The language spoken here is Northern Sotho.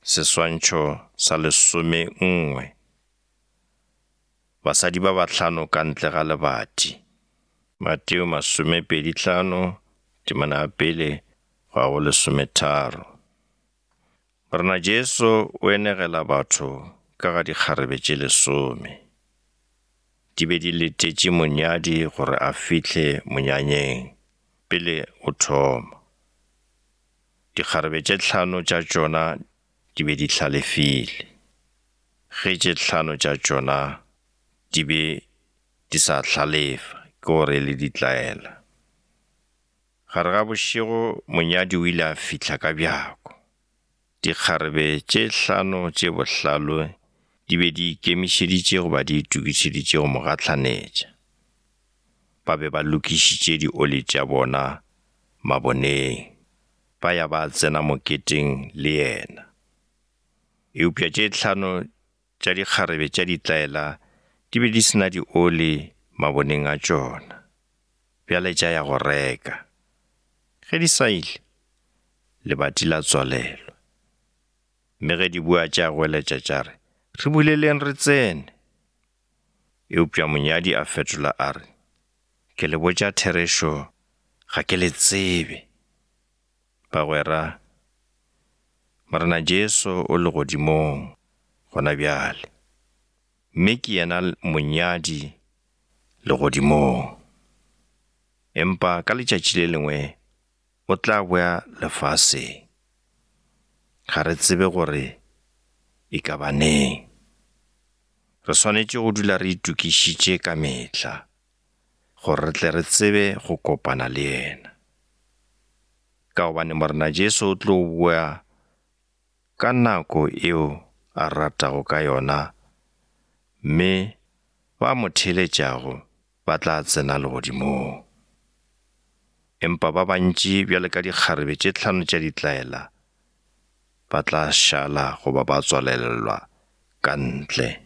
Seswantšho sa 11. Basadi ba bahlano ka ntle ga lebati. Mateo 25, temana ya pele go ya go 13. Morena Jesu o enegela batho ka ga dikgarebe tše lesome. Di be di letetše monyadi gore a fihle monyanyeng pele o thoma. Dikgarebe tše hlano tša tšona di be di hlalefile, ge tše hlano tša tšona di be di sa hlalefa, ke gore e le ditlaela. Gare ga bošego monyadi o ile a fihla ka bjako. Dikgarebe tše hlano tše bohlale di be di ikemišeditše goba di itokišeditše go mo gahlanetša. Ba be ba lokišitše dioli tša bona maboneng, ba ya ba tsena moketeng le yena. Eupša tše hlano tša dikgarebe tša ditlaela di be di se na dioli maboneng a tšona, bjale tša ya go reka. Ge di sa ile, lebati la tswalelwa. Mme ge di boa tša goeletša tša re, Re buleleng re tsene! Eupša monyadi a fetola a re, Ke le botša therešo, ga ke le tsebe. Bagwera, Morena Jesu o legodimong gona bjale, mme ke yena monyadi legodimong. Empa ka letšatši le lengwe o tla boya lefaseng. Ga re tsebe gore e ka ba neng. Re swanetše go dula re itokišitše ka mehla gore re tle re tsebe go kopana le yena. Ka gobane Morena Jesu o tlo boa ka nako eo a ratago ka yona mme ba mo theeletšago ba tla tsena legodimong. Empa ba bantši bjalo ka dikgarebe tše hlano tša ditlaela ba tla šala goba ba tswalelelwa ka ntle.